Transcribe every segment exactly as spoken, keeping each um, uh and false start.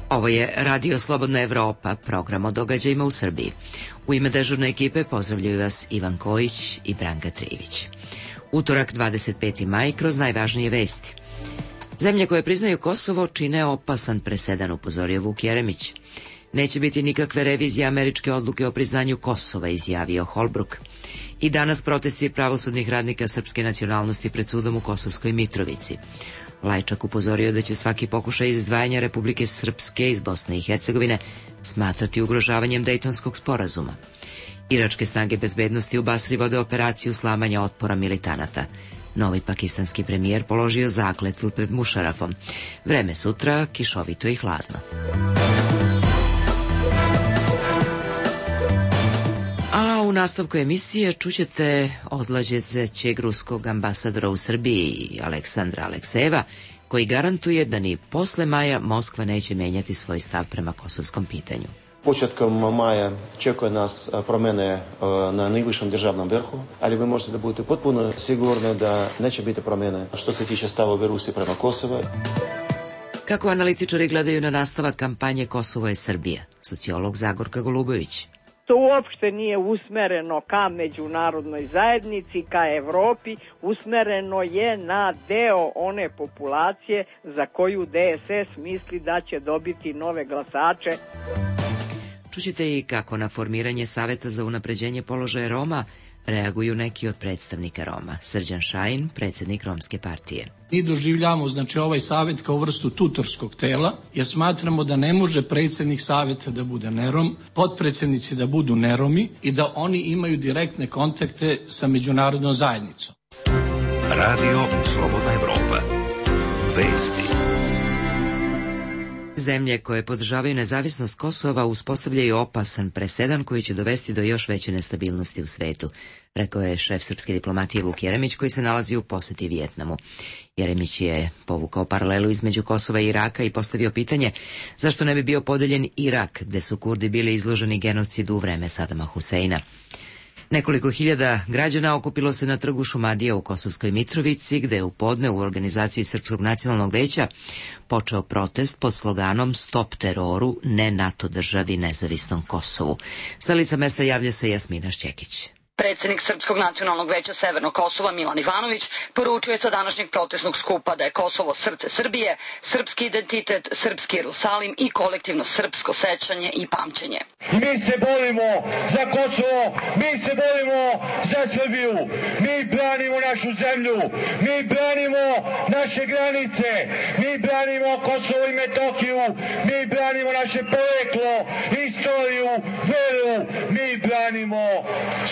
Ovo je Radio Slobodna Evropa, program o događajima u Srbiji. U ime dežurne ekipe pozdravljaju vas Ivan Kojić i Branka Trivić. Utorak, dvadeset peti maj, kroz najvažnije vesti. Zemlje koje priznaju Kosovo čine opasan presedan, upozorio Vuk Jeremić. Neće biti nikakve revizije američke odluke o priznanju Kosova, izjavio Holbruk. I danas protesti pravosudnih radnika srpske nacionalnosti pred sudom u Kosovskoj Mitrovici. Lajčak upozorio da će svaki pokušaj izdvajanja Republike Srpske iz Bosne i Hercegovine smatrati ugrožavanjem Dejtonskog sporazuma. Iračke snage bezbednosti u Basri vode operaciju slamanja otpora militanata. Novi pakistanski premijer položio zakletvu pred Mušarafom. Vreme sutra kišovito i hladno. A u nastavku emisije čućete odlazećeg ruskog ambasadora u Srbiji, Aleksandra Aleksejeva, koji garantuje da ni posle maja Moskva neće menjati svoj stav prema kosovskom pitanju. Početkom maja čekuje nas promjene na najvišem državnom vrhu, ali vi možete da budete potpuno sigurni da neće biti promjene što se tiče stavove Rusije prema Kosovu. Kako analitičari gledaju na nastavak kampanje Kosovo je Srbija? Sociolog Zagorka Golubović. To uopšte nije usmereno ka međunarodnoj zajednici, ka Evropi, usmereno je na deo one populacije za koju D S S misli da će dobiti nove glasače. Čućete i kako na formiranje Saveta za unapređenje položaja Roma reaguju neki od predstavnika Roma. Srđan Šajin, predsjednik Romske partije. Mi doživljamo znači ovaj savjet kao vrstu tutorskog tela, jer smatramo da ne može predsjednik savjeta da bude nerom, potpredsjednici da budu neromi i da oni imaju direktne kontakte sa međunarodnom zajednicom. Radio Slobodna Evropa. Vesti. Zemlje koje podržavaju nezavisnost Kosova uspostavljaju opasan presedan koji će dovesti do još veće nestabilnosti u svetu, rekao je šef srpske diplomatije Vuk Jeremić, koji se nalazi u poseti Vijetnamu. Jeremić je povukao paralelu između Kosova i Iraka i postavio pitanje zašto ne bi bio podeljen Irak, gde su Kurdi bili izloženi genocidu u vreme Sadama Huseina. Nekoliko hiljada građana okupilo se na trgu Šumadija u Kosovskoj Mitrovici, gde je u podne u organizaciji Srpskog nacionalnog veća počeo protest pod sloganom Stop teroru, ne NATO državi, nezavisnom Kosovu. Sa lica mesta javlja se Jasmina Šćekić. Predsjednik Srpskog nacionalnog veća Severnog Kosova Milan Ivanović poručuje sa današnjeg protestnog skupa da je Kosovo srce Srbije, srpski identitet, srpski Jerusalim i kolektivno srpsko sećanje i pamćenje. Mi se borimo za Kosovo, mi se borimo za Srbiju, mi branimo našu zemlju, mi branimo naše granice, mi branimo Kosovo i Metohiju, mi branimo naše poreklo, istoriju, veru, mi branimo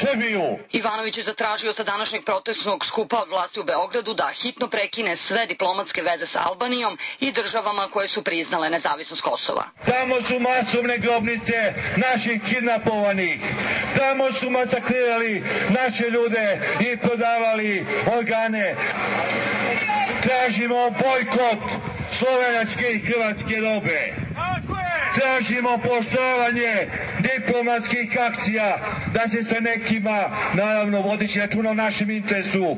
Srbiju. Ivanović je zatražio sa današnjeg protestnog skupa od vlasti u Beogradu da hitno prekine sve diplomatske veze sa Albanijom i državama koje su priznale nezavisnost Kosova. Tamo su masovne grobnice naših kidnapovanih, tamo su masakrirali naše ljude i prodavali organe. Tražimo bojkot slovenačke i hrvatske robe. Tražimo poštovanje diplomatskih akcija, da se sa nekima, naravno vodeći računa o našem interesu,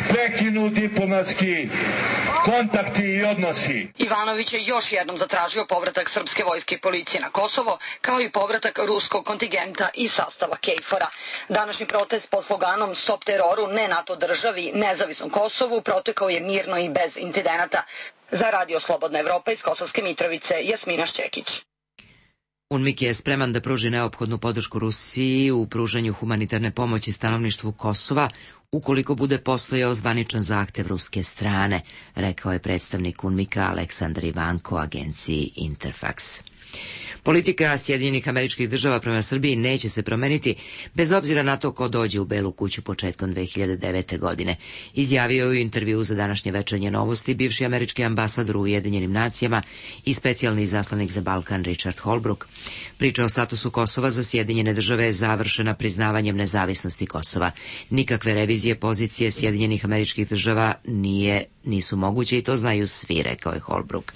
prekinu diplomatski kontakti i odnosi. Ivanović je još jednom zatražio povratak srpske vojske i policije na Kosovo, kao i povratak ruskog kontingenta i sastava KFOR-a. Današnji protest pod sloganom Stop teroru, ne NATO državi, nezavisnom Kosovu protekao je mirno i bez incidenata. Za Radio Slobodna Evropa iz Kosovske Mitrovice, Jasmina Šćekić. UNMIK je spreman da pruži neophodnu podršku Rusiji u pružanju humanitarne pomoći stanovništvu Kosova ukoliko bude postojao zvaničan zahtev ruske strane, rekao je predstavnik UNMIK-a Aleksandar Ivanko agenciji Interfax. Politika Sjedinjenih Američkih Država prema Srbiji neće se promeniti bez obzira na to ko dođe u Belu kuću početkom dve hiljade devete. godine. Izjavio je u intervjuu za današnje večernje novosti bivši američki ambasador u Ujedinjenim nacijama i specijalni izaslanik za Balkan Richard Holbrooke. Priča o statusu Kosova za Sjedinjene Države je završena priznavanjem nezavisnosti Kosova. Nikakve revizije pozicije Sjedinjenih Američkih Država nije, nisu moguće i to znaju svi, rekao je Holbrooke.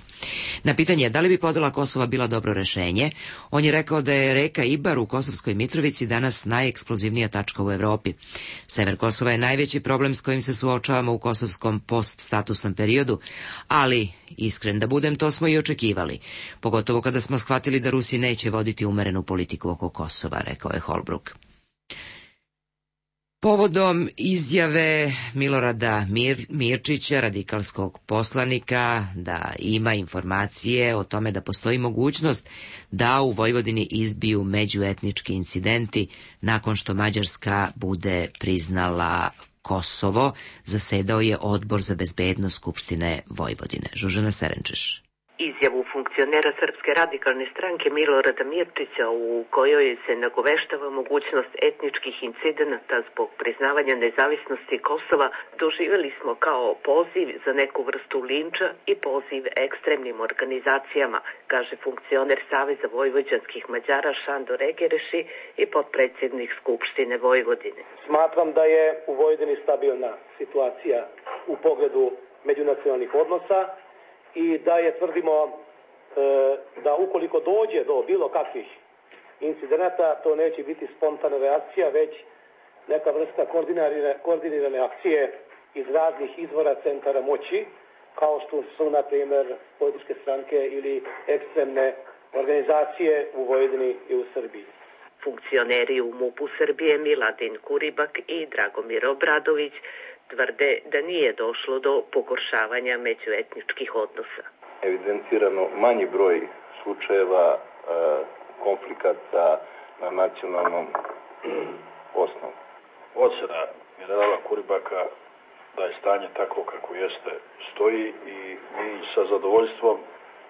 Na pitanje da li bi podela Kosova bila dobro rešenje, on je rekao da je reka Ibar u Kosovskoj Mitrovici danas najeksplozivnija tačka u Evropi. Sever Kosova je najveći problem s kojim se suočavamo u kosovskom poststatusnom periodu, ali, iskren da budem, to smo i očekivali, pogotovo kada smo shvatili da Rusi neće voditi umerenu politiku oko Kosova, rekao je Holbruk. Povodom izjave Milorada Mir, Mirčića, radikalskog poslanika, da ima informacije o tome da postoji mogućnost da u Vojvodini izbiju međuetnički incidenti nakon što Mađarska bude priznala Kosovo, zasedao je Odbor za bezbednost Skupštine Vojvodine. Žužana Serenčeš. Izjavu funkcionera Srpske radikalne stranke Milorada Mirčića u kojoj se nagoveštava mogućnost etničkih incidenata zbog priznavanja nezavisnosti Kosova doživjeli smo kao poziv za neku vrstu linča i poziv ekstremnim organizacijama, kaže funkcioner Saveza vojvođanskih Mađara Šandor Egereši i potpredsjednik Skupštine Vojvodine. Smatram da je u Vojvodini stabilna situacija u pogledu međunacionalnih odnosa i da je, tvrdimo, e, da ukoliko dođe do bilo kakvih incidenata, to neće biti spontana reakcija, već neka vrsta koordinirane, koordinirane akcije iz raznih izvora centara moći, kao što su, na primjer, političke stranke ili ekstremne organizacije u Vojvodini i u Srbiji. Funkcioneri u MUP-u Srbije Miladin Kuribak i Dragomir Obradović tvrde da nije došlo do pogoršavanja međuetničkih odnosa. Evidentirano manji broj slučajeva e, konflikata na nacionalnom osnovu. Ocena generala Kuribaka da je stanje tako kako jeste stoji i mi sa zadovoljstvom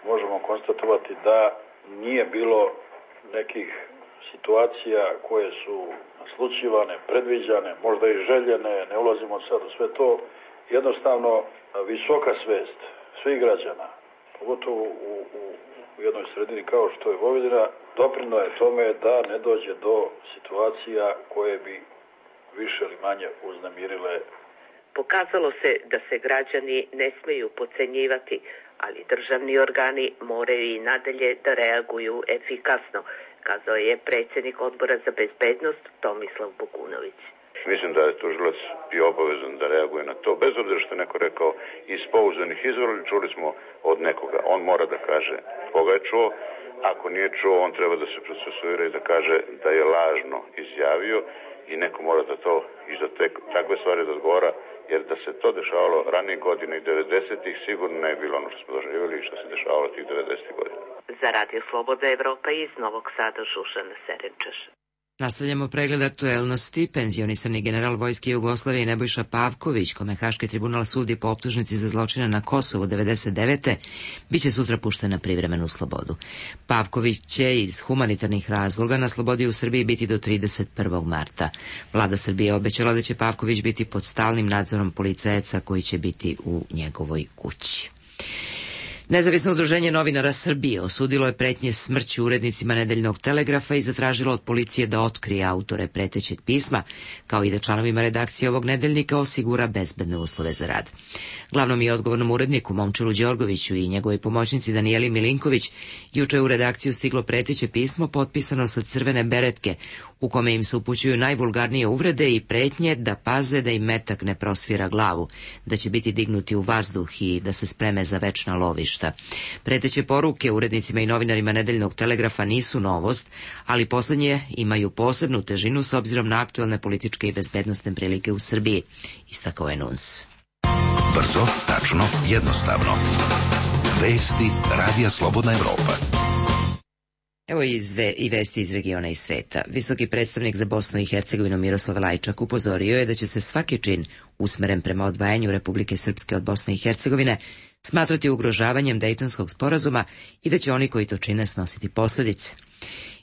možemo konstatovati da nije bilo nekih situacija koje su naslućivane, predviđane, možda i željene, ne ulazimo sad u sve to. Jednostavno, visoka svest svih građana, pogotovo u, u, u jednoj sredini kao što je Vojvodina, doprino je tome da ne dođe do situacija koje bi više ili manje uznemirile. Pokazalo se da se građani ne smeju podcenjivati, ali državni organi moraju i nadalje da reaguju efikasno, kazao je predsjednik Odbora za bezbednost Tomislav Bogunović. Mislim da je tužilac i obavezan da reaguje na to, bez obzira što je neko rekao iz pouzdanih izvora, čuli smo od nekoga. On mora da kaže koga je čuo, ako nije čuo, on treba da se procesuira i da kaže da je lažno izjavio i neko mora da to i za te, takve stvari da odgovara, jer da se to dešavalo ranije godine i devedesetih sigurno ne je bilo ono što smo doživjeli i što se dešavalo tih devedesetih godina. Za Radio Sloboda Evropa iz Novog Sada, Žužana Serenčeš. Nastavljamo pregled aktuelnosti. Penzionisani general Vojske Jugoslavije Nebojša Pavković, kome Haški tribunal sudi po optužnici za zločine na Kosovu devedeset devete. biće sutra pušten na privremenu slobodu. Pavković će iz humanitarnih razloga na slobodi u Srbiji biti do trideset prvog marta. Vlada Srbije obećala da će Pavković biti pod stalnim nadzorom policajaca koji će biti u njegovoj kući. Nezavisno udruženje novinara Srbije osudilo je pretnje smrću urednicima Nedeljnog telegrafa i zatražilo od policije da otkrije autore pretećeg pisma, kao i da članovima redakcije ovog nedeljnika osigura bezbedne uslove za rad. Glavnom i odgovornom uredniku Momčilu Đorgoviću i njegovoj pomoćnici Danijeli Milinković juče je u redakciju stiglo preteće pismo potpisano sa crvene beretke, u kome im se upućuju najvulgarnije uvrede i pretnje da paze da im metak ne prosvira glavu, da će biti dignuti u vazduh i da se spreme za večna lovišta. Preteće poruke urednicima i novinarima Nedeljnog telegrafa nisu novost, ali poslednje imaju posebnu težinu s obzirom na aktuelne političke i bezbednosne prilike u Srbiji, istakao je Nuns. Brzo, tačno, jednostavno. Vesti Radija Slobodna Evropa. Evo i, zve, i vesti iz regiona i sveta. Visoki predstavnik za Bosnu i Hercegovinu Miroslav Lajčak upozorio je da će se svaki čin usmeren prema odvajanju Republike Srpske od Bosne i Hercegovine smatrati ugrožavanjem Dejtonskog sporazuma i da će oni koji to čine snositi posljedice.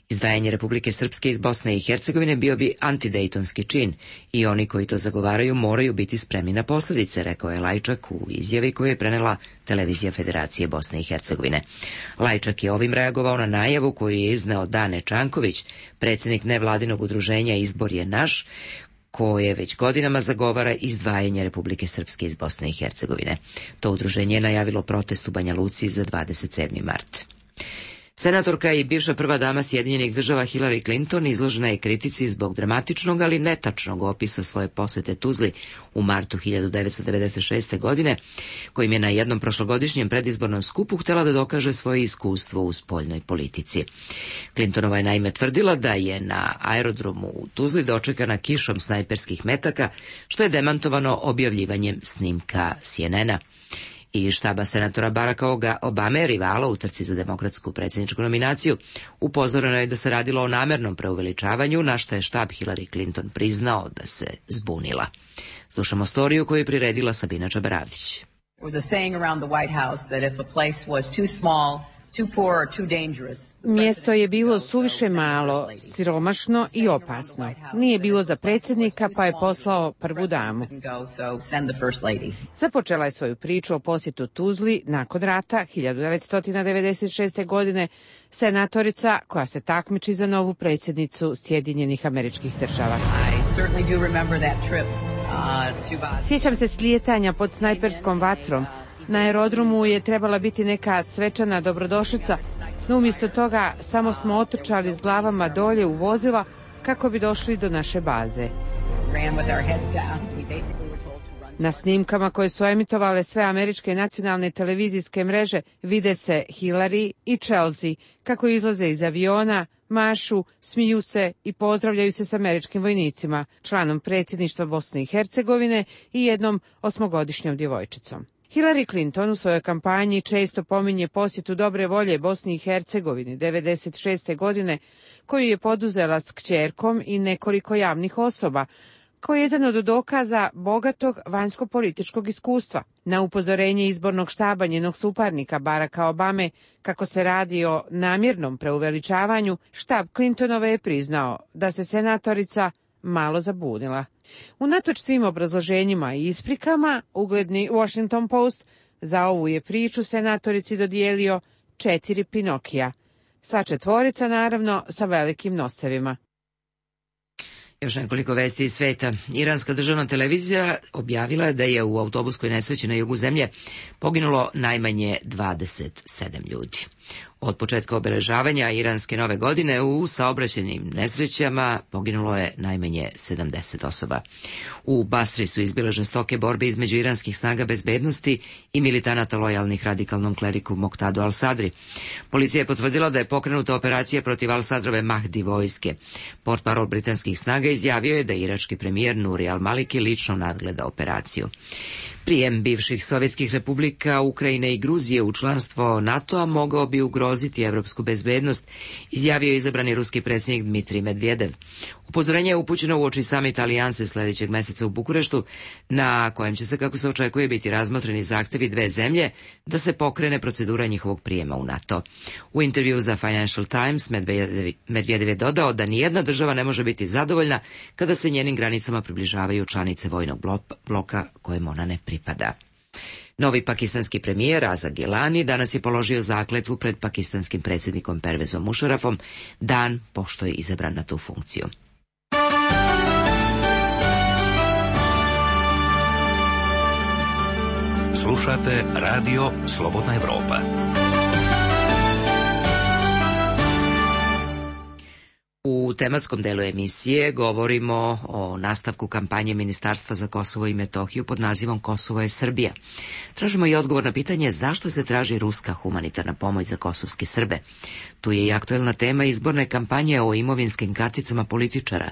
Izdvajanje Republike Srpske iz Bosne i Hercegovine bio bi antidejtonski čin i oni koji to zagovaraju moraju biti spremni na posljedice, rekao je Lajčak u izjavi koju je prenela televizija Federacije Bosne i Hercegovine. Lajčak je ovim reagovao na najavu koju je izneo Dane Čanković, predsjednik nevladinog udruženja Izbor je naš, koje već godinama zagovara izdvajanje Republike Srpske iz Bosne i Hercegovine. To udruženje je najavilo protest u Banja Luci za dvadeset sedmi mart. Senatorka i bivša prva dama Sjedinjenih država Hillary Clinton izložena je kritici zbog dramatičnog, ali netačnog opisa svoje posete Tuzli u martu hiljadu devetsto devedeset šeste. godine, kojim je na jednom prošlogodišnjem predizbornom skupu htjela da dokaže svoje iskustvo u spoljnoj politici. Clintonova je naime tvrdila da je na aerodromu u Tuzli dočekana kišom snajperskih metaka, što je demantovano objavljivanjem snimka C N N-a. I štaba senatora Baracka Obame, rivala u trci za demokratsku predsjedničku nominaciju, upozoreno je da se radilo o namernom preuveličavanju, na što je štab Hillary Clinton priznao da se zbunila. Slušamo storiju koju je priredila Sabina Čabaravdić. Mjesto je bilo suviše malo, siromašno i opasno. Nije bilo za predsjednika, pa je poslao prvu damu. Započela je svoju priču o posjetu Tuzli nakon rata hiljadu devetsto devedeset šeste. godine senatorica koja se takmiči za novu predsjednicu Sjedinjenih Američkih Država. Sjećam se slijetanja pod snajperskom vatrom. Na aerodromu je trebala biti neka svečana dobrodošlica, no umjesto toga samo smo otrčali s glavama dolje u vozila kako bi došli do naše baze. Na snimkama koje su emitovale sve američke nacionalne televizijske mreže vide se Hillary i Chelsea kako izlaze iz aviona, mašu, smiju se i pozdravljaju se s američkim vojnicima, članom predsjedništva Bosne i Hercegovine i jednom osmogodišnjom djevojčicom. Hillary Clinton u svojoj kampanji često pominje posjetu dobre volje Bosni i Hercegovini devedeset šeste. godine, koju je poduzela s kćerkom i nekoliko javnih osoba, kao jedan od dokaza bogatog vanjsko-političkog iskustva. Na upozorenje izbornog štaba njenog suparnika Baracka Obame kako se radi o namjernom preuveličavanju, štab Clintonove je priznao da se senatorica malo zabunila. Unatoč svim obrazloženjima i isprikama, ugledni Washington Post za ovu je priču senatorici dodijelio četiri Pinokija. Sva četvorica, naravno, sa velikim nosevima. Još nekoliko vesti iz sveta. Iranska državna televizija objavila je da je u autobuskoj nesreći na jugu zemlje poginulo najmanje dvadeset sedam ljudi. Od početka obeležavanja iranske nove godine u saobraćajnim nesrećama poginulo je najmanje sedamdeset osoba. U Basri su izbile žestoke borbe između iranskih snaga bezbednosti i militanata lojalnih radikalnom kleriku Moqtadu al-Sadri. Policija je potvrdila da je pokrenuta operacija protiv al-Sadrove Mahdi vojske. Portparol britanskih snaga izjavio je da irački premijer Nuri al-Maliki lično nadgleda operaciju. Prijem bivših sovjetskih republika Ukrajine i Gruzije u članstvo NATO-a mogao bi ugroziti evropsku bezbednost, izjavio je izabrani ruski predsjednik Dmitrij Medvedev. Upozorenje je upućeno uoči samita Alijanse sljedećeg mjeseca u Bukureštu, na kojem će se, kako se očekuje, biti razmotreni zahtjevi dve zemlje da se pokrene procedura njihovog prijema u NATO. U intervju za Financial Times Medvedev je dodao da nijedna država ne može biti zadovoljna kada se njenim granicama približavaju članice vojnog bloka kojem ona ne pripada. Novi pakistanski premijer Raza Gilani danas je položio zakletvu pred pakistanskim predsjednikom Pervezom Musharrafom dan pošto je izabran na tu funkciju. Slušate radio Slobodna Evropa. U tematskom delu emisije govorimo o nastavku kampanje Ministarstva za Kosovo i Metohiju pod nazivom Kosovo je Srbija. Tražimo i odgovor na pitanje zašto se traži ruska humanitarna pomoć za kosovske Srbe. Tu je i aktuelna tema izborne kampanje o imovinskim karticama političara,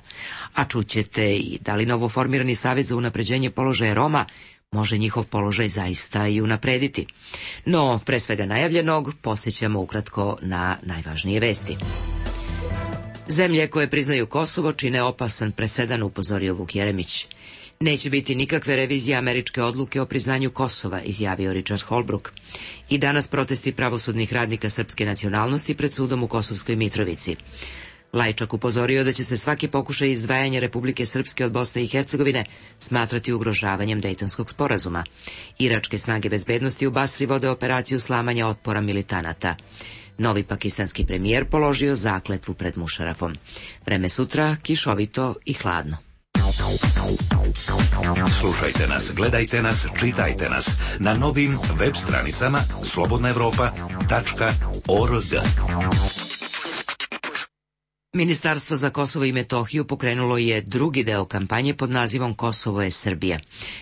a čućete i da li novoformirani savjet za unapređenje položaja Roma može njihov položaj zaista i unaprediti. No, pre svega najavljenog, podsjećamo ukratko na najvažnije vesti. Zemlje koje priznaju Kosovo čine opasan presedan, upozorio Vuk Jeremić. Neće biti nikakve revizije američke odluke o priznanju Kosova, izjavio Richard Holbrooke. I danas protesti pravosudnih radnika srpske nacionalnosti pred sudom u Kosovskoj Mitrovici. Lajčak upozorio da će se svaki pokušaj izdvajanja Republike Srpske od Bosne i Hercegovine smatrati ugrožavanjem Dejtonskog sporazuma. Iračke snage bezbednosti u Basri vode operaciju slamanja otpora militanata. Novi pakistanski premijer položio zakletvu pred Musharrafom. Vreme sutra kišovito i hladno. Slušajte nas, gledajte nas, čitajte nas na novim web stranicama slobodna evropa tačka org. Ministarstvo za Kosovo i Metohiju pokrenulo je drugi deo kampanje pod nazivom Kosovo je Srbija.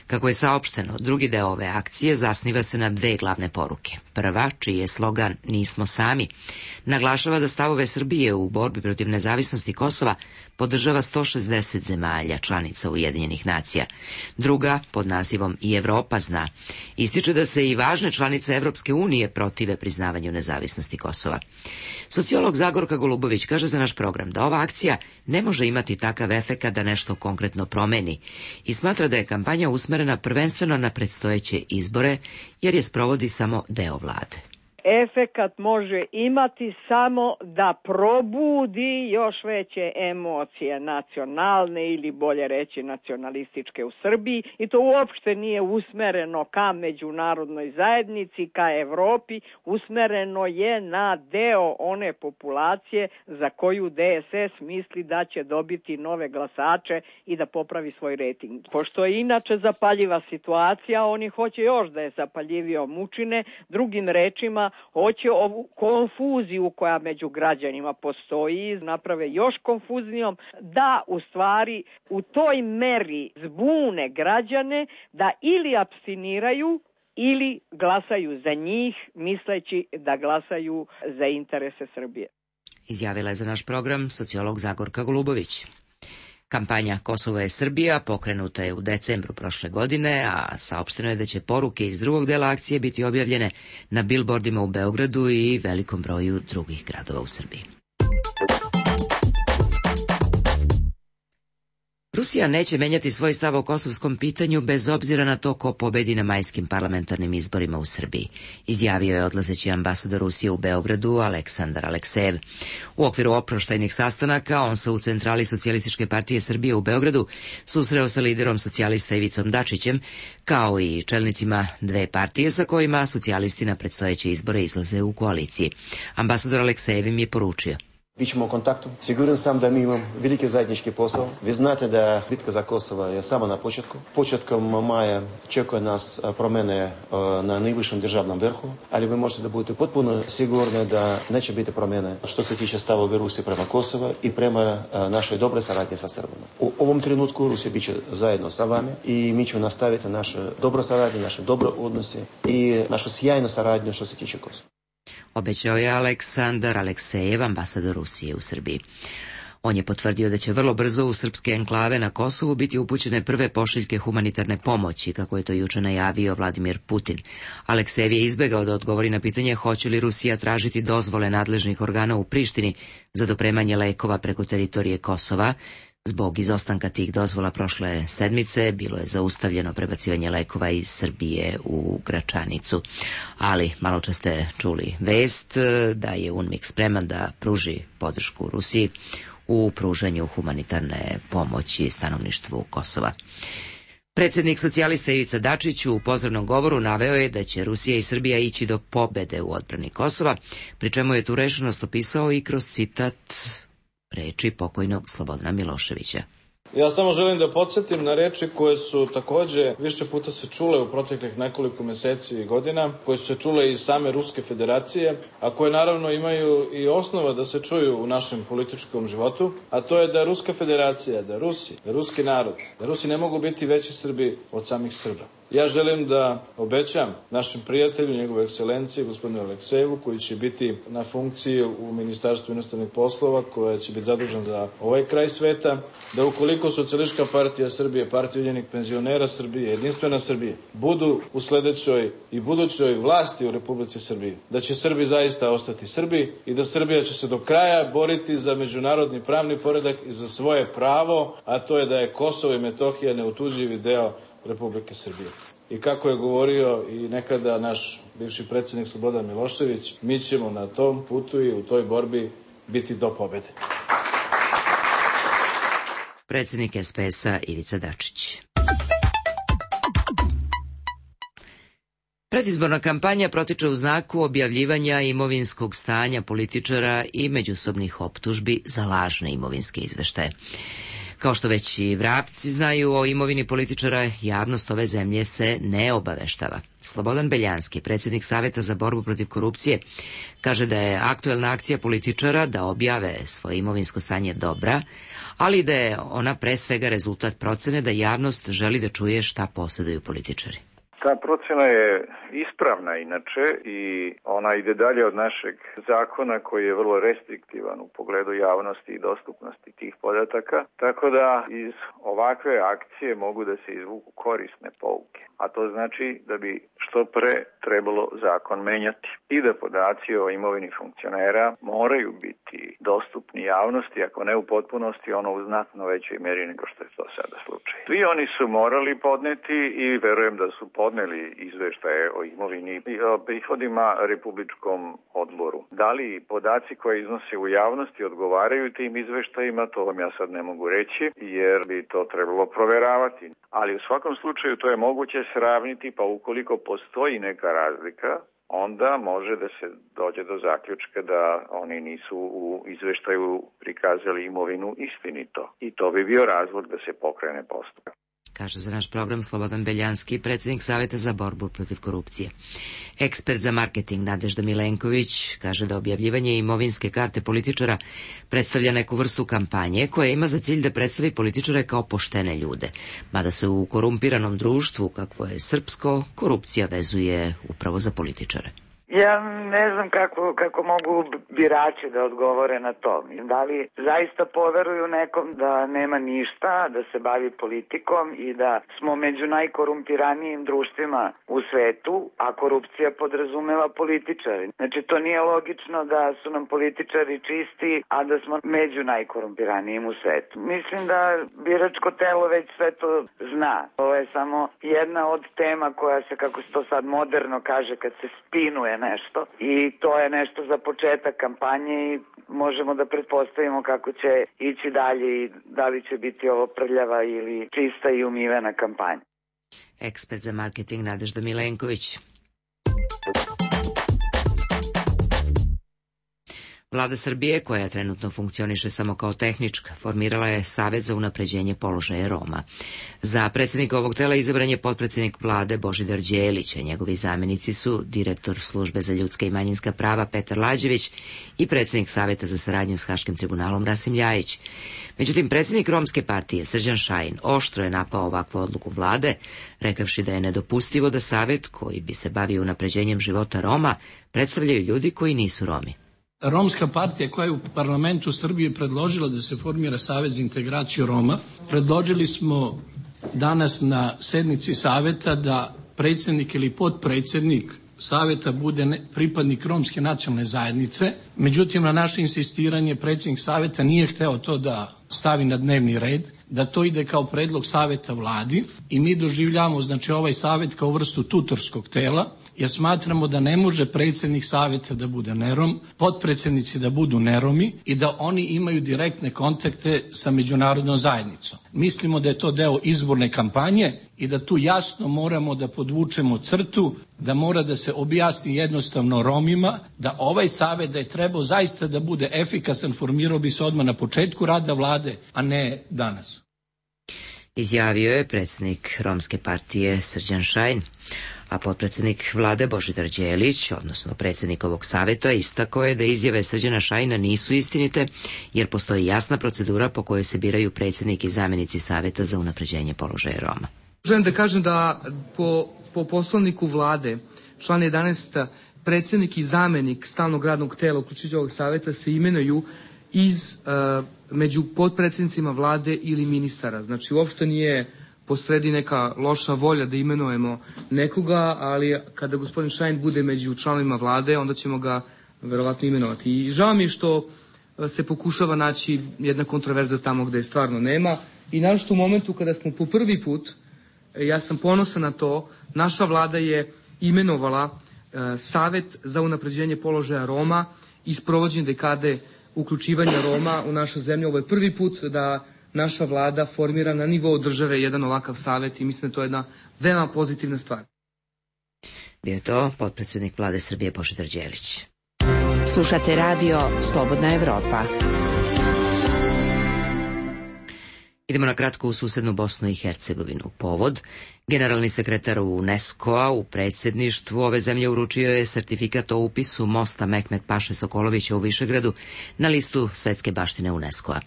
Kako je saopšteno, drugi deo ove akcije zasniva se na dve glavne poruke. Prva, čiji je slogan Nismo sami, naglašava da stavove Srbije u borbi protiv nezavisnosti Kosova podržava sto šezdeset zemalja, članica Ujedinjenih nacija. Druga, pod nazivom I Evropa zna, ističe da se i važne članice Evropske unije protive priznavanju nezavisnosti Kosova. Sociolog Zagorka Golubović kaže za naš program da ova akcija ne može imati takav efekat da nešto konkretno promeni i smatra da je kampanja usmerena prvenstveno na predstojeće izbore, jer je sprovodi samo deo vlade. Efekat može imati samo da probudi još veće emocije nacionalne ili bolje reći nacionalističke u Srbiji i to uopšte nije usmereno ka međunarodnoj zajednici, ka Evropi, usmereno je na deo one populacije za koju D S S misli da će dobiti nove glasače i da popravi svoj rejting. Pošto je inače zapaljiva situacija, oni hoće još da je zapaljivio mučine, drugim rečima hoće ovu konfuziju koja među građanima postoji, naprave još konfuznijom, da u stvari u toj meri zbune građane da ili apstiniraju ili glasaju za njih, misleći da glasaju za interese Srbije. Izjavila je za naš program sociolog Zagorka Golubović. Kampanja Kosovo je Srbija pokrenuta je u decembru prošle godine, a saopšteno je da će poruke iz drugog dela akcije biti objavljene na bilbordima u Beogradu i velikom broju drugih gradova u Srbiji. Rusija neće menjati svoj stav o kosovskom pitanju bez obzira na to ko pobedi na majskim parlamentarnim izborima u Srbiji, izjavio je odlazeći ambasador Rusije u Beogradu Aleksandar Aleksejev. U okviru oproštajnih sastanaka on se u centrali Socijalističke partije Srbije u Beogradu susreo sa liderom socijalista Ivicom Dačićem, kao i čelnicima dve partije sa kojima socijalisti na predstojeće izbore izlaze u koaliciji. Ambasador Aleksejev im je poručio: Bićemo u kontaktu. Siguran sam da mi imamo veliki zajednički posao. Vi znate da bitka za Kosovo je samo na početku. Početkom maja čekuje nas promjene na najvišem državnom vrhu, ali vi možete da budete potpuno sigurni da neće biti promjene što se tiče stavove Rusije prema Kosovo i prema našoj dobre saradnje sa Srbima. U ovom trenutku Rusija bit će zajedno sa vami i mi ćemo nastaviti naše dobro saradnje, naše dobro odnose i našu sjajnu saradnju što se tiče Kosova. Obećao je Aleksandar Aleksejev, ambasador Rusije u Srbiji. On je potvrdio da će vrlo brzo u srpske enklave na Kosovu biti upućene prve pošiljke humanitarne pomoći, kako je to juče najavio Vladimir Putin. Aleksejev je izbegao da odgovori na pitanje hoće li Rusija tražiti dozvole nadležnih organa u Prištini za dopremanje lekova preko teritorije Kosova. Zbog izostanka tih dozvola prošle sedmice bilo je zaustavljeno prebacivanje lekova iz Srbije u Gračanicu. Ali malo čas ste čuli vest da je UNMIK spreman da pruži podršku Rusiji u pružanju humanitarne pomoći stanovništvu Kosova. Predsjednik socijalista Ivica Dačić u pozdravnom govoru naveo je da će Rusija i Srbija ići do pobede u odbrani Kosova, pri čemu je tu rešenost opisao i kroz citat reči pokojnog Slobodana Miloševića. Ja samo želim da podsjetim na reči koje su takođe više puta se čule u proteklih nekoliko meseci i godina, koje su se čule i same Ruske federacije, a koje naravno imaju i osnova da se čuju u našem političkom životu, a to je da Ruska federacija, da Rusi, da ruski narod, da Rusi ne mogu biti veći Srbi od samih Srba. Ja želim da obećam našem prijatelju, njegove ekscelencije, gospodinu Aleksejevu, koji će biti na funkciji u Ministarstvu inostranih poslova, koja će biti zadužen za ovaj kraj sveta, da ukoliko Socijalistička partija Srbije, Partija ujedinjenih penzionera Srbije, Jedinstvena Srbije, budu u sledećoj i budućoj vlasti u Republici Srbiji, da će Srbi zaista ostati Srbi i da Srbija će se do kraja boriti za međunarodni pravni poredak i za svoje pravo, a to je da je Kosovo i Metohija neotuđivi deo Republike Srbije. I kako je govorio i nekada naš bivši predsjednik Slobodan Milošević, mi ćemo na tom putu i u toj borbi biti do pobede. Predsjednik S P S-a Ivica Dačić. Predizborna kampanja protiče u znaku objavljivanja imovinskog stanja političara i međusobnih optužbi za lažne imovinske izveštaje. Kao što već i vrapci znaju o imovini političara, javnost ove zemlje se ne obaveštava. Slobodan Beljanski, predsjednik Saveta za borbu protiv korupcije, kaže da je aktuelna akcija političara da objave svoje imovinsko stanje dobra, ali da je ona pre svega rezultat procene da javnost želi da čuje šta posjeduju političari. Ta procena je ispravna inače i ona ide dalje od našeg zakona koji je vrlo restriktivan u pogledu javnosti i dostupnosti tih podataka, tako da iz ovakve akcije mogu da se izvuku korisne pouke. A to znači da bi što pre trebalo zakon menjati i da podaci o imovini funkcionera moraju biti dostupni javnosti, ako ne u potpunosti, ono u znatno većoj mjeri nego što je to sada slučaj. Svi oni su morali podneti i verujem da su podneli izveštaje o imovini i o prihodima Republičkom odboru. Da li podaci koje iznose u javnosti odgovaraju tim izveštajima, to vam ja sad ne mogu reći, jer bi to trebalo proveravati. Ali u svakom slučaju to je moguće sravniti, pa ukoliko postoji neka razlika, onda može da se dođe do zaključka da oni nisu u izveštaju prikazali imovinu istinito. I to bi bio razlog da se pokrene postupak. Kaže za naš program Slobodan Beljanski, predsjednik Saveta za borbu protiv korupcije. Ekspert za marketing Nadežda Milenković kaže da objavljivanje imovinske karte političara predstavlja neku vrstu kampanje koja ima za cilj da predstavi političare kao poštene ljude, mada se u korumpiranom društvu, kakvo je srpsko, korupcija vezuje upravo za političare. Ja ne znam kako, kako mogu birači da odgovore na to. Da li zaista poveruju nekom da nema ništa, da se bavi politikom i da smo među najkorumpiranijim društvima u svetu, a korupcija podrazumeva političari. Znači to nije logično da su nam političari čisti, a da smo među najkorumpiranijim u svetu. Mislim da biračko telo već sve to zna. Ovo je samo jedna od tema koja se, kako se to sad moderno kaže, kad se spinuje nešto i to je nešto za početak kampanje i možemo da pretpostavimo kako će ići dalje i da li će biti ovo prljava ili čista i umivena kampanja. Ekspert za marketing Nadežda Milenković. Vlada Srbije, koja trenutno funkcioniše samo kao tehnička, formirala je Savet za unapređenje položaja Roma. Za predsjednika ovog tela izabran je potpredsjednik vlade Božidar Đelić, a njegovi zamjenici su direktor službe za ljudska i manjinska prava Petar Lađević i predsjednik Saveta za saradnju s Haškim tribunalom Rasim Ljajić. Međutim, predsjednik Romske partije Srđan Šajn oštro je napao ovakvu odluku vlade, rekavši da je nedopustivo da Savet, koji bi se bavio unapređenjem života Roma, predstavljaju ljudi koji nisu Romi. Romska partija koja je u parlamentu Srbije predložila da se formira Savet za integraciju Roma, predložili smo danas na sednici Saveta da predsjednik ili potpredsjednik Saveta bude pripadnik romske nacionalne zajednice. Međutim, na naše insistiranje predsjednik Saveta nije hteo to da stavi na dnevni red, da to ide kao predlog Saveta vladi i mi doživljavamo znači ovaj Savet kao vrstu tutorskog tela, jer smatramo da ne može predsjednik Saveta da bude nerom, potpredsjednici da budu neromi i da oni imaju direktne kontakte sa međunarodnom zajednicom. Mislimo da je to deo izborne kampanje i da tu jasno moramo da podvučemo crtu, da mora da se objasni jednostavno Romima, da ovaj Savet da je trebao zaista da bude efikasan, formirao bi se odmah na početku rada vlade, a ne danas. Izjavio je predsjednik Romske partije Srđan Šajn, a potpredsjednik vlade Božidar Đelić, odnosno predsjednik ovog saveta, istakao je da izjave Srđana Šajna nisu istinite, jer postoji jasna procedura po kojoj se biraju predsjednik i zamjenici Saveta za unapređenje položaja Roma. Želim da kažem da po, po poslovniku vlade, član jedanaest, predsjednik i zamjenik stalnog radnog tela uključujući ovog saveta se imenuju iz uh, među potpredsjednicima vlade ili ministara. Znači uopšte nije postredi neka loša volja da imenujemo nekoga, ali kada gospodin Šajn bude među članovima vlade, onda ćemo ga verovatno imenovati. I žao mi je što se pokušava naći jedna kontroverza tamo gde je stvarno nema. I naročito u momentu kada smo po prvi put, ja sam ponosan na to, naša vlada je imenovala e, Savet za unapređenje položaja Roma i sprovođenje dekade uključivanja Roma u našu zemlju. Ovo je prvi put da naša vlada formira na nivou države jedan ovakav savet i mislim da je to jedna veoma pozitivna stvar. Bio je to potpredsjednik vlade Srbije Božidar Đelić. Slušate radio Slobodna Evropa. Idemo na kratko u susednu Bosnu i Hercegovinu. Povod, generalni sekretar UNESCO-a u predsjedništvu ove zemlje uručio je sertifikat o upisu mosta Mehmet Paše Sokolovića u Višegradu na listu svetske baštine UNESCO-a.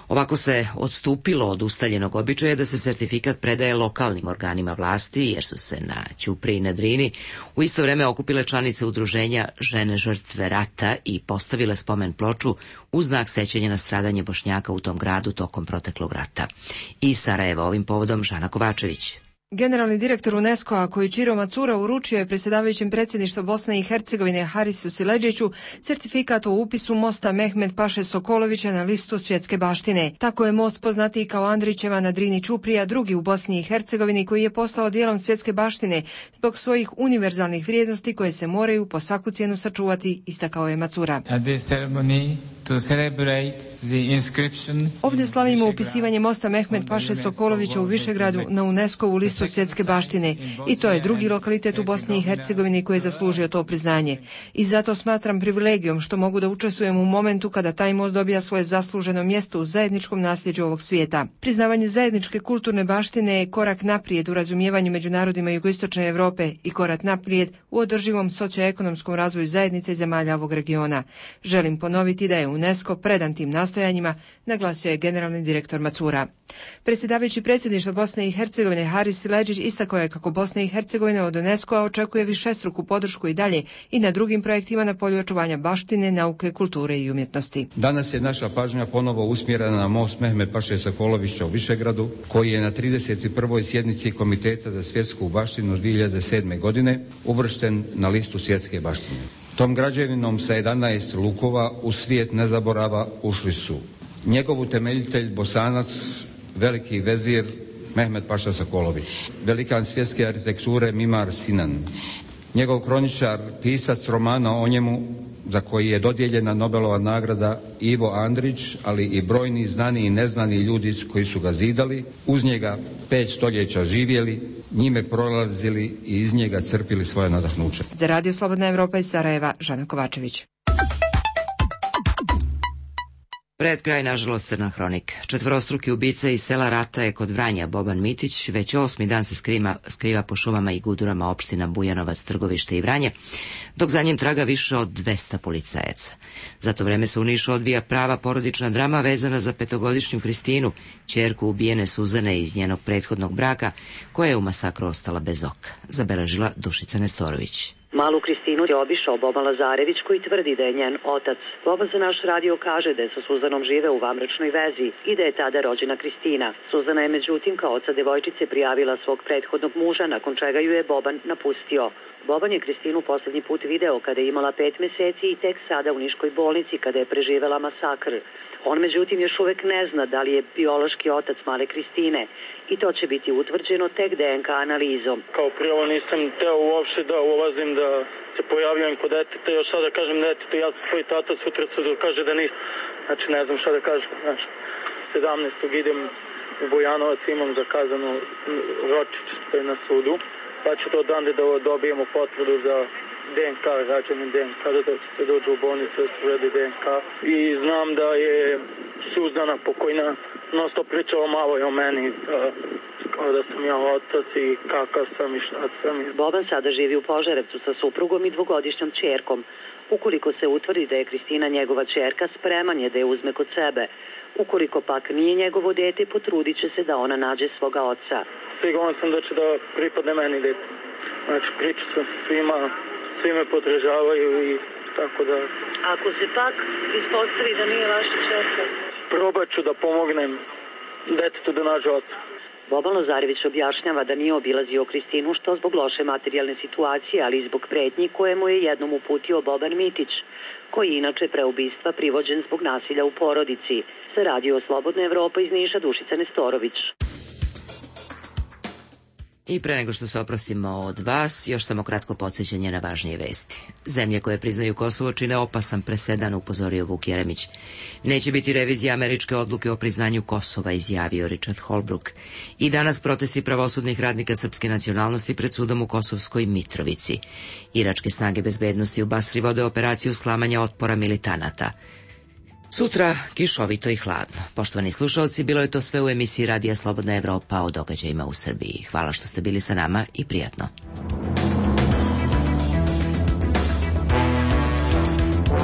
Ovako se odstupilo od ustaljenog običaja da se sertifikat predaje lokalnim organima vlasti, jer su se na Ćupriji i na Drini u isto vreme okupile članice udruženja Žene žrtve rata i postavile spomen ploču u znak sećanja na stradanje Bošnjaka u tom gradu tokom proteklog rata. Iz Sarajeva ovim povodom Žana Kovačević. Generalni direktor UNESCO-a Koichiro Matsura uručio je predsjedavajućem predsjedništva Bosne i Hercegovine Harisu Siledžiću sertifikat o upisu mosta Mehmet Paše Sokolovića na listu svjetske baštine. Tako je most poznatiji kao Andrićeva na Drini Ćuprija, drugi u Bosni i Hercegovini koji je postao dijelom svjetske baštine zbog svojih univerzalnih vrijednosti koje se moraju po svaku cijenu sačuvati, istakao je Matsura. Ovdje slavimo upisivanje mosta Mehmet Paše Sokolovića u Višegradu na UNESCO-u listu svjetske baštine i to je drugi lokalitet u Bosni i Hercegovini koji je zaslužio to priznanje. I zato smatram privilegijom što mogu da učestvujem u momentu kada taj most dobija svoje zasluženo mjesto u zajedničkom nasljeđu ovog svijeta. Priznavanje zajedničke kulturne baštine je korak naprijed u razumijevanju među narodima jugoistočne Europe i korak naprijed u održivom socioekonomskom razvoju zajednice i zemalja ovog regiona. Želim ponoviti da je UNESCO predan tim nastojanjima, naglasio je generalni direktor Matsura. Predsjedavajući predsjedništva Bosne i Hercegovine Haris Siledžić istakao je kako Bosna i Hercegovina od UNESCO-a očekuje višestruku podršku i dalje i na drugim projektima na polju očuvanja baštine, nauke, kulture i umjetnosti. Danas je naša pažnja ponovo usmjerena na most Mehmet Paše Sokolovića u Višegradu, koji je na trideset prvoj sjednici Komiteta za svjetsku baštinu dvije hiljade sedme. godine uvršten na listu svjetske baštine. Tom građevinom sa jedanaest lukova u svijet nezaborava ušli su njegov utemeljitelj Bosanac, veliki vezir Mehmet Paša Sokolović, velikan svjetske arhitekture Mimar Sinan, njegov kroničar, pisac romana o njemu za koji je dodijeljena Nobelova nagrada Ivo Andrić, ali i brojni znani i neznani ljudi koji su ga zidali, uz njega pet stoljeća živjeli, njime prolazili i iz njega crpili svoje nadahnuće. Za Radio Slobodna Evropa iz Sarajeva, Žana Kovačević. Pred kraj, nažalost, crna hronika. Četvorostruki ubica iz sela Rata je kod Vranja Boban Mitić već osmi dan se skriva, skriva po šumama i gudurama opština Bujanovac, Trgovište i Vranje, dok za njim traga više od dvesta policajaca. Za to vreme se u Nišu odvija prava porodična drama vezana za petogodišnju Kristinu, ćerku ubijene Suzane iz njenog prethodnog braka, koja je u masakru ostala bez oka, zabeležila Dušica Nestorović. Malu Kristinu je obišao Boban Lazarević koji tvrdi da je njen otac. Boban za naš radio kaže da je sa Suzanom žive u vanbračnoj vezi i da je tada rođena Kristina. Suzana je međutim kao oca devojčice prijavila svog prethodnog muža, nakon čega ju je Boban napustio. Boban je Kristinu posljednji put video kada je imala pet mjeseci i tek sada u Niškoj bolnici kada je preživela masakr. On međutim još uvek ne zna da li je biološki otac male Kristine i to će biti utvrđeno tek D N K analizom. Kao prvo nisam teo uopšte da ulazim, da se pojavljujem kod deteta, još sada kažem deteta, ja sam tvoj tata, sutra se dokaže da nisam. Znači ne znam šta da kažem. Znači, sedamnaestog idem u Bujanovac, imam zakazano ročić na sudu, pa ću to odande da dobijemo potvrdu za D N K, rađeni D N K, da se dođe u bolnicu da se uredi D N K. I znam da je Suzana pokojna non stop pričala malo i o meni, kao da sam ja otac i kakav sam i šta sam. Boban sada živi u Požarevcu sa suprugom i dvogodišnjom ćerkom. Ukoliko se utvrdi da je Kristina njegova ćerka, spreman je da je uzme kod sebe. Ukoliko pak nije njegovo dete, potrudit će se da ona nađe svoga oca. Siguran sam da će da pripadne meni dete. Znači priča sam svima, svi me podržavaju i tako da... Ako se pak ispostavi da nije vaša ćerka? Probat ću da pomognem detetu da nađe oca. Boban Lazarević objašnjava da nije obilazio Kristinu što zbog loše materijalne situacije, ali i zbog pretnji koje mu je jednom uputio Boban Mitić, koji je inače pre ubistva privođen zbog nasilja u porodici. Za Radio Slobodna Evropa iz Niša, Dušica Nestorović. I pre nego što se oprostimo od vas, još samo kratko podsjećanje na važnije vesti. Zemlje koje priznaju Kosovo čine opasan presedan, upozorio Vuk Jeremić. Neće biti revizija američke odluke o priznanju Kosova, izjavio Richard Holbrooke. I danas protesti pravosudnih radnika srpske nacionalnosti pred sudom u Kosovskoj Mitrovici. Iračke snage bezbednosti u Basri vode operaciju slamanja otpora militanata. Sutra kišovito i hladno. Poštovani slušalci, bilo je to sve u emisiji Radija Slobodna Evropa o događajima u Srbiji. Hvala što ste bili sa nama i prijatno.